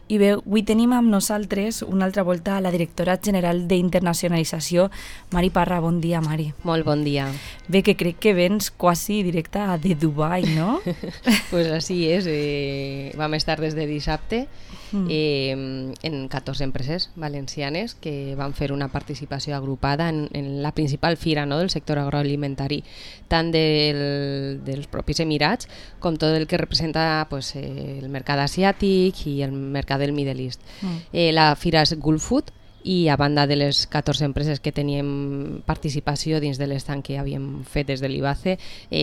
I bé, avui tenim amb nosaltres una altra volta a la directora general d'Internacionalització, Mari Parra. Bon dia, Mari. Molt bon dia. Bé, que crec que vens quasi directa de Dubai, no? Pues així és. Vam estar des de dissabte en 14 empreses valencianes que van fer una participació agrupada en la principal fira, no?, del sector agroalimentari, tant dels propis Emirats com tot el que representa pues, el mercat asiàtic i el mercat del Middle East. La fira és Gulf Food, i a banda de les 14 empreses que teníem participació dins de l'estant que havíem fet des de l'IBACE,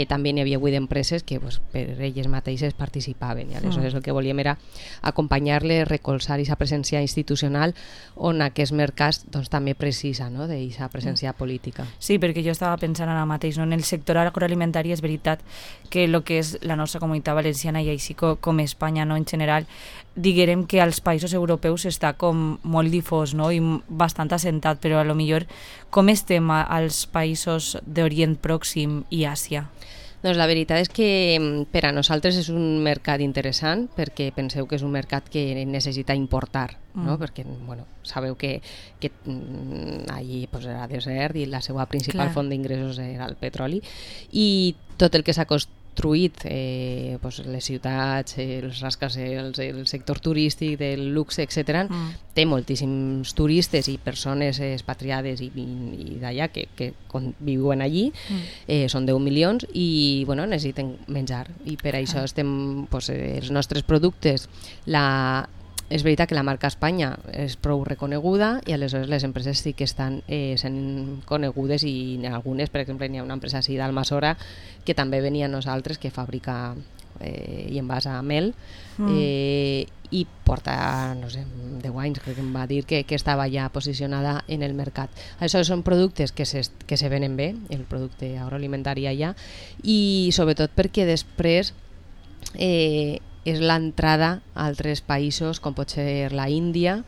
també n'hi havia 8 empreses que pues, per elles mateixes participaven, i aleshores el que volíem era acompanyar-les, recolzar aquesta presència institucional on aquest mercat doncs, també precisa, no?, d'aquesta presència política. Sí, perquè jo estava pensant ara mateix, no? En el sector agroalimentari és veritat que el que és la nostra comunitat valenciana i així com Espanya, no?, en general, diguem que als països europeus està com molt difós, no?, i bastant assentat, però a lo millor com estem als països d'Orient Pròxim i Àsia? Doncs la veritat és que per a nosaltres és un mercat interessant, perquè penseu que és un mercat que necessita importar, no? Perquè bueno, sabeu que allí pues, era desert i la seva principal font d'ingressos era el petroli, i tot el que s'ha construït, pues, les ciutats, els rascacels, el sector turístic, del luxe, etc. Té moltíssims turistes i persones expatriades i d'allà que viuen allí, són 10 milions i bueno, necessiten menjar, i per això estem, pues, els nostres productes, és veritat que la marca Espanya és prou reconeguda i aleshores les empreses sí que estan sent conegudes, i algunes, per exemple, n'hi ha una empresa així d'Almassora que també venia a nosaltres, que fabrica i envasa mel, i porta, no sé, 10 anys crec que em va dir que estava ja posicionada en el mercat. Aleshores són productes que se venen bé, el producte agroalimentari allà, i sobretot perquè després és l'entrada a altres països com pot ser la Índia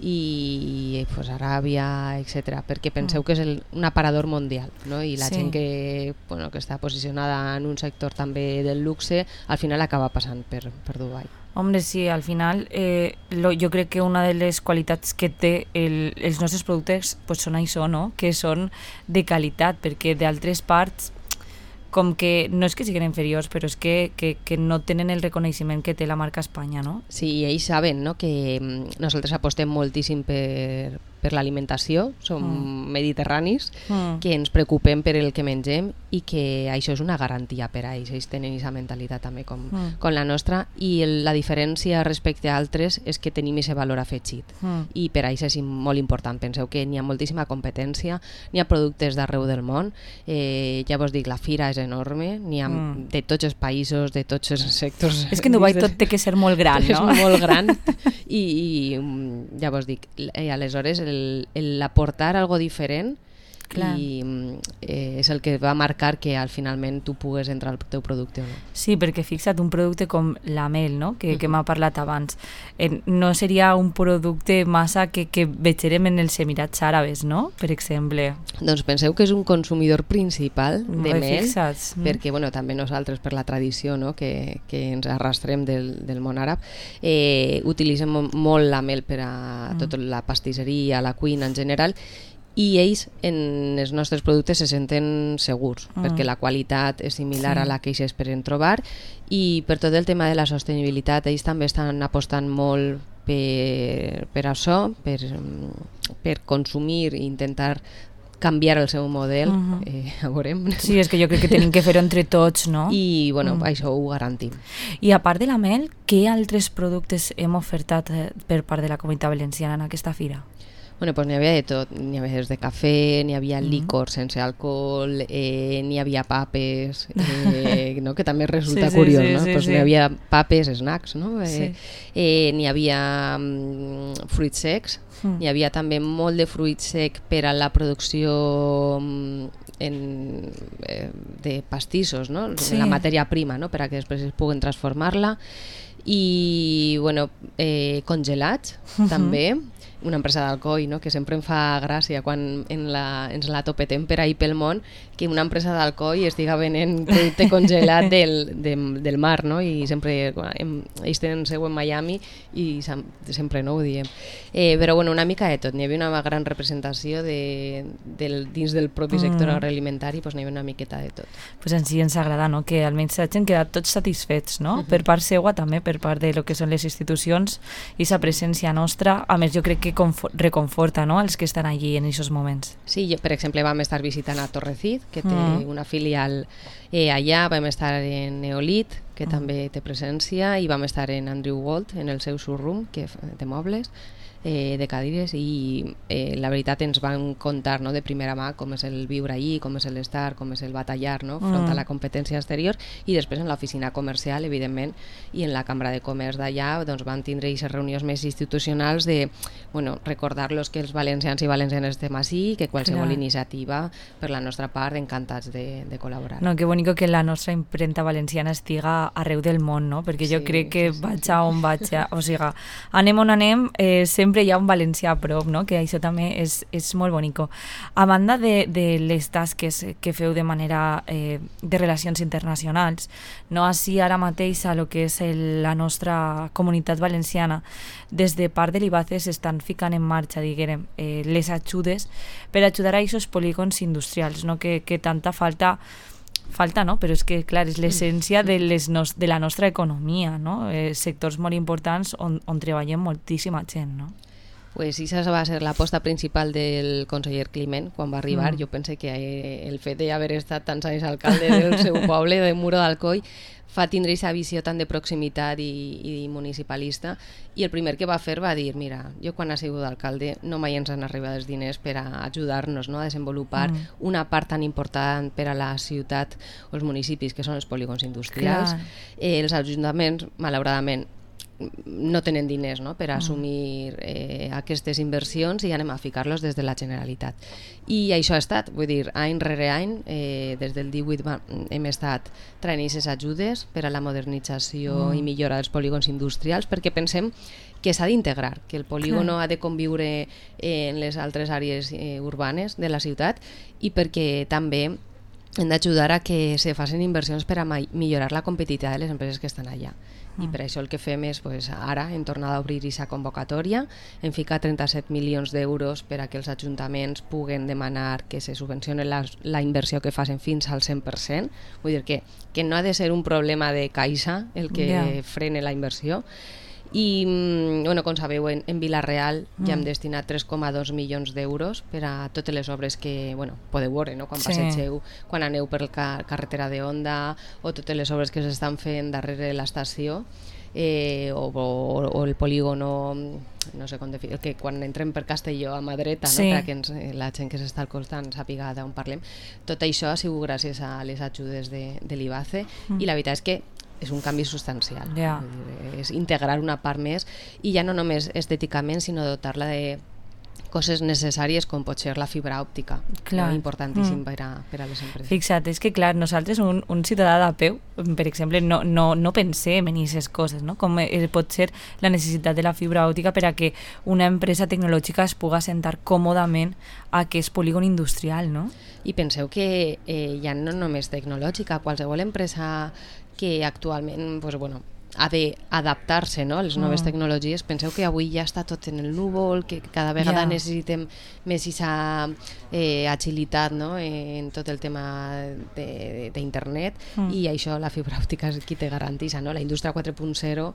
i pues, Aràbia, etc. Perquè penseu que és un aparador mundial, no? I la gent que està posicionada en un sector també del luxe al final acaba passant per Dubai. Hombre, sí, al final jo crec que una de les qualitats que té els nostres productes pues, són això, no?, que són de qualitat, perquè d'altres parts com que no és que siguin inferiors, però és que no tenen el reconeixement que té la marca Espanya, no? Sí, i ells saben, no?, que nosaltres apostem moltíssim per l'alimentació, som mediterranis, que ens preocupem per el que mengem i que això és una garantia per a ells. Ells tenen aquesta mentalitat també com la nostra, i la diferència respecte a altres és que tenim aquest valor afegit, i per a ells és molt important. Penseu que n'hi ha moltíssima competència, n'hi ha productes d'arreu del món, ja vos dic, la fira és enorme, n'hi ha de tots els països, de tots els sectors. És que en Dubai tot té que ser molt gran, no? És molt gran, i ja vos dic, aleshores l'aportar algo diferent i és el que va marcar que al finalment tu pugues entrar al teu producte o no. Sí, perquè fixa't, un producte com la mel, no?, que m'ha parlat abans, no seria un producte massa que vegerem en els Emirats Àrabs, no?, per exemple. Doncs penseu que és un consumidor principal de mel, fixats. perquè bueno, també nosaltres per la tradició, no?, que ens arrastrem del món àrab, utilitzem molt la mel per a tota la pastisseria, la cuina en general, i ells en els nostres productes se senten segurs, perquè la qualitat és similar a la que ells esperen trobar, i per tot el tema de la sostenibilitat ells també estan apostant molt per això, per consumir i intentar canviar el seu model, a veurem. Sí, és que jo crec que tenim que fer-ho entre tots, no? I bueno, això ho garantim. I a part de la mel, què altres productes hem ofertat per part de la Comunitat Valenciana en aquesta fira? Bueno, pues n'hi havia de tot, n'hi havia des de cafè, n'hi havia licor sense alcohol, n'hi havia papes, no? Que també resulta curiós, no? Pues n'hi havia papes, snacks, no? N'hi havia fruits secs, n'hi havia també molt de fruit sec per a la producció de pastissos, no? La matèria prima, no?, per a que després es puguen transformar-la, i bueno, congelats també, una empresa d'Alcoi, no?, que sempre em fa gràcia quan ens la topetem per ahir pel món, que una empresa d'Alcoi estiga venent producte congelat del mar, no? I sempre ells tenen seu en Miami i sempre no ho diem. Però bueno, una mica de tot, n'hi havia una gran representació dins del propi sector agroalimentari, doncs n'hi havia una miqueta de tot. Pues en si ens agrada, no?, que almenys s'hagin quedat tots satisfets, no? Per part seua també, per part de lo que són les institucions i sa presència nostra, a més jo crec que reconforta, no?, els que estan allí en aquests moments. Sí, per exemple vam estar visitant a Torrecid, que té una filial allà, vam estar en Neolit, que també té presència, i vam estar en Andrew Walt, en el seu showroom de mobles, de cadires, i la veritat ens van contar, no, de primera mà com és el viure allí, com és l'estar, com és el batallar, no, front a la competència exterior, i després en l'oficina comercial, evidentment, i en la cambra de comerç d'allà doncs van tindre aquestes reunions més institucionals de, bueno, recordar-los que els valencians i valencianes estem així, que qualsevol iniciativa per la nostra part encantats de col·laborar. No, que bonico que la nostra impremta valenciana estiga arreu del món, no? Perquè jo crec que vaig a on vaig, o sigui, anem on anem, sempre hi ha un valencià a prop, no? Que això també és molt bonico. A banda de les tasques que feu de manera de relacions internacionals, no així ara mateix a lo que és la nostra comunitat valenciana, des de part de l'IBACE s'estan ficant en marxa, diguem, les ajudes per ajudar a aquests polígons industrials, no? Que tanta falta, no? Però és que, clar, és l'essència de la nostra economia, no? Sectors molt importants on treballem moltíssima gent, no? Pues això va ser l'aposta principal del conseller Climent quan va arribar. Jo pense que el fet d'haver estat tants anys alcalde del seu poble, de Muro d'Alcoi, fa tindre aquesta visió tan de proximitat i municipalista, i el primer que va fer va dir, mira, jo quan he sigut alcalde no mai ens han arribat els diners per a ajudar-nos, no, a desenvolupar una part tan important per a la ciutat o els municipis que són els polígons industrials. Els ajuntaments, malauradament, no tenen diners, no?, per assumir aquestes inversions, i anem a ficar-los des de la Generalitat. I això ha estat, vull dir, any rere any, des del 18 hem estat traient aquestes ajudes per a la modernització i millora dels polígons industrials, perquè pensem que s'ha d'integrar, que el polígono ha de conviure en les altres àrees urbanes de la ciutat, i perquè també hem d'ajudar a que se facin inversions per a millorar la competitivitat de les empreses que estan allà. I per això el que fem és, ara hem tornat a obrir aquesta convocatòria, hem ficat 37 milions d'euros per a que els ajuntaments puguen demanar que se subvencioni la inversió que facin fins al 100%, vull dir que no ha de ser un problema de caixa el que frene la inversió. I, bueno, com sabeu, en Vila-real ja hem destinat 3,2 milions d'euros per a totes les obres que, bueno, podeu veure, no?, quan passegeu, quan aneu per la carretera de Onda, o totes les obres que s'estan fent darrere de l'estació, o el polígono, no sé com definir, que quan entrem per Castelló a mà dreta, no?, perquè la gent que s'està al costat sàpiga d'on parlem. Tot això ha sigut gràcies a les ajudes de l'IBACE, i la veritat és que és un canvi substancial. És integrar una part més, i ja no només estèticament, sinó dotar-la de coses necessàries com pot ser la fibra òptica, importantíssim per a les empreses. Fixa't, és que clar, nosaltres, un ciutadà de peu, per exemple, no pensem en aquestes coses, no? Com pot ser la necessitat de la fibra òptica per a que una empresa tecnològica es pugui assentar còmodament a aquest polígon industrial, no? I penseu que ja no només tecnològica, qualsevol empresa que actualment ha d'adaptar-se, no?, a les noves tecnologies. Penseu que avui ja està tot en el núvol, que cada vegada necessitem més aquesta agilitat, no?, en tot el tema d'internet, i això la fibra òptica és qui te garanteix, no? La indústria 4.0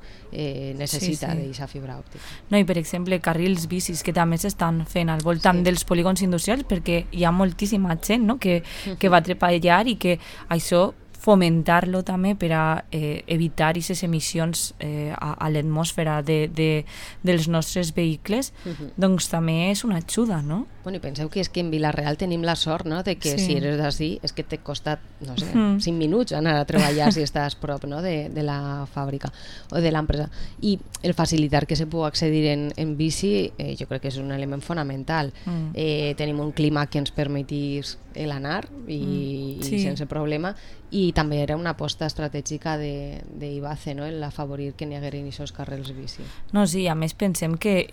necessita d'aquesta fibra òptica. No, i per exemple, carrils bicis que també s'estan fent al voltant dels polígons industrials, perquè hi ha moltíssima gent, no?, que va treballar, i que això fomentar-lo també per a evitar aquestes emissions a l'atmosfera dels nostres vehicles, doncs també és una ajuda, no? Bueno, i penseu que és que en Vila-real tenim la sort, no?, de que si eres d'ací és que t'ha costat, no sé, 5 minuts anar a treballar si estàs prop, no?, de la fàbrica o de l'empresa. I el facilitar que se pugui accedir en bici jo crec que és un element fonamental. Tenim un clima que ens permetís l'anar i sense problema, i I també era una aposta estratègica d'Ibace, no? En afavorir que n'hi hagueren aquests carrils bici. No, sí, a més pensem que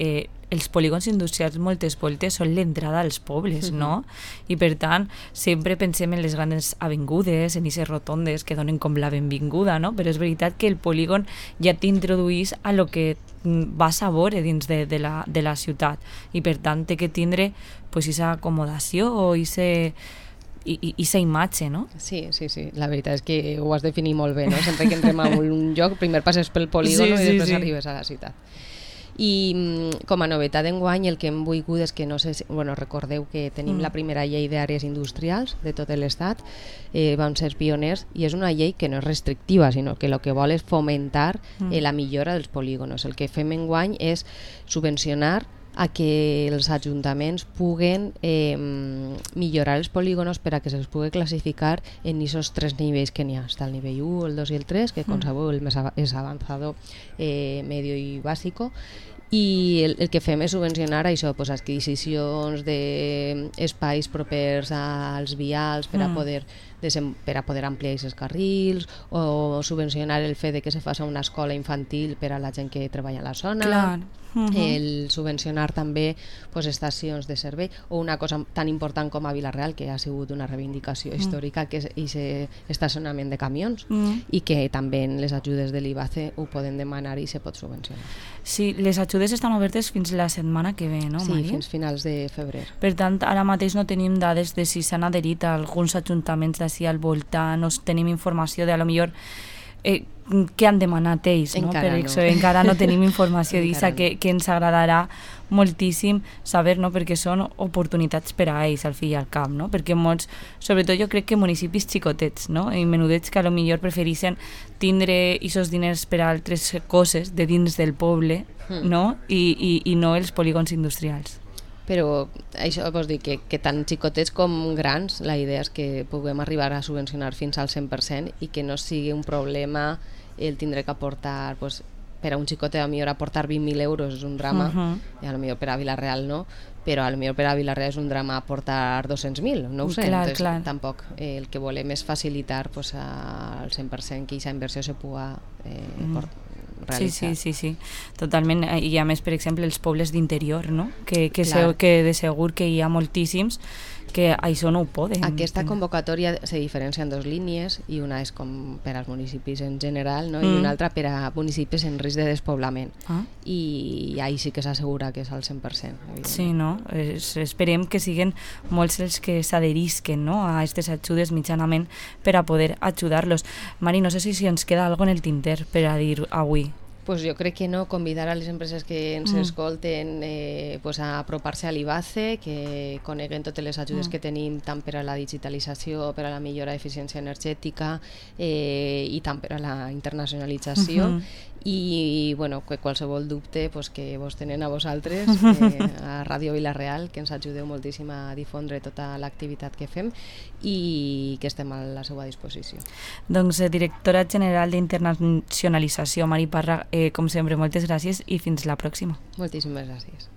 els polígons industrials moltes voltes són l'entrada als pobles, no? I per tant, sempre pensem en les grans avingudes, en aquestes rotondes que donen com la benvinguda, no? Però és veritat que el polígon ja t'introduís a lo que vas a veure dins de la ciutat i per tant té que tindre pues, esa acomodació o esa imatge, no? Sí, la veritat és que ho has definit molt bé, no? Sempre que entrem a un lloc, primer passes pel polígon i després arribes a la ciutat. I com a novetat d'enguany el que hem volgut és que recordeu que tenim la primera llei d'àrees industrials de tot l'estat, vam ser pioners i és una llei que no és restrictiva, sinó que el que vol és fomentar la millora dels polígons. El que fem enguany és subvencionar a que els ajuntaments puguen millorar els polígons per a que se'ls pugui classificar en aquests 3 nivells que n'hi ha. Està el nivell 1, el 2 i el 3, que com sabeu el més és avançado, medio i bàsico. I el que fem és subvencionar això, pues, adquisicions d'espais propers als vials per a poder ampliar aquests carrils, o subvencionar el fet de que se faci una escola infantil per a la gent que treballa a la zona. Clar. El subvencionar també pues, estacions de servei, o una cosa tan important com a Vila-real, que ha sigut una reivindicació històrica, que és aquest estacionament de camions, i que també en les ajudes de l'Ibace ho poden demanar i se pot subvencionar. Sí, les ajudes estan obertes fins la setmana que ve, no, Mari? Sí, fins finals de febrer. Per tant, ara mateix no tenim dades de si s'han adherit a alguns ajuntaments d'ací al voltant, no tenim informació de, a lo millor, què han demanat ells, no? Encara per no. això encara no tenim informació d'issa, que ens agradarà moltíssim saber, no? Perquè són oportunitats per a ells al fi i al cap, no? Perquè molts, sobretot jo crec que municipis xicotets, no? I menudets que a lo millor prefereixen tindre aquests diners per a altres coses de dins del poble, no? I no els polígons industrials. Però això vols dir que tant xicotets com grans, la idea és que puguem arribar a subvencionar fins al 100% i que no sigui un problema el tindre que aportar, pues, per a un xicotet a millor aportar 20.000 euros és un drama, i a lo millor per a Vila-real no, però a lo millor per a Vila-real és un drama aportar 200.000, no ho sé. Clar, entonces, clar. Tampoc el que volem és facilitar pues, al 100% que aquesta inversió se pugui realitzar. Sí, totalment. I a més, per exemple, els pobles d'interior, no? Que de segur que hi ha moltíssims que això no ho poden. Aquesta convocatòria se diferencia en 2 línies, i una és com per als municipis en general, no? I una altra per a municipis en risc de despoblament. I ahí sí que s'assegura que és al 100%. Sí, no? Esperem que siguen molts els que s'adherisquen, no? A aquestes ajudes mitjanament per a poder ajudar-los. Mari, no sé si ens queda alguna en el tinter per a dir avui. Pues jo crec que no, convidar a les empreses que ens escolten pues a apropar-se a l'Ibace, que coneguen totes les ajudes que tenim tant per a la digitalització, per a la millora d'eficiència energètica i tant per a la internacionalització. I bueno, que qualsevol dubte pues, que vos tenen a vosaltres, a Ràdio Vila-real, que ens ajudeu moltíssim a difondre tota l'activitat que fem i que estem a la seva disposició. Doncs, directora general d'Internacionalització, Mari Parra, com sempre, moltes gràcies i fins la pròxima. Moltíssimes gràcies.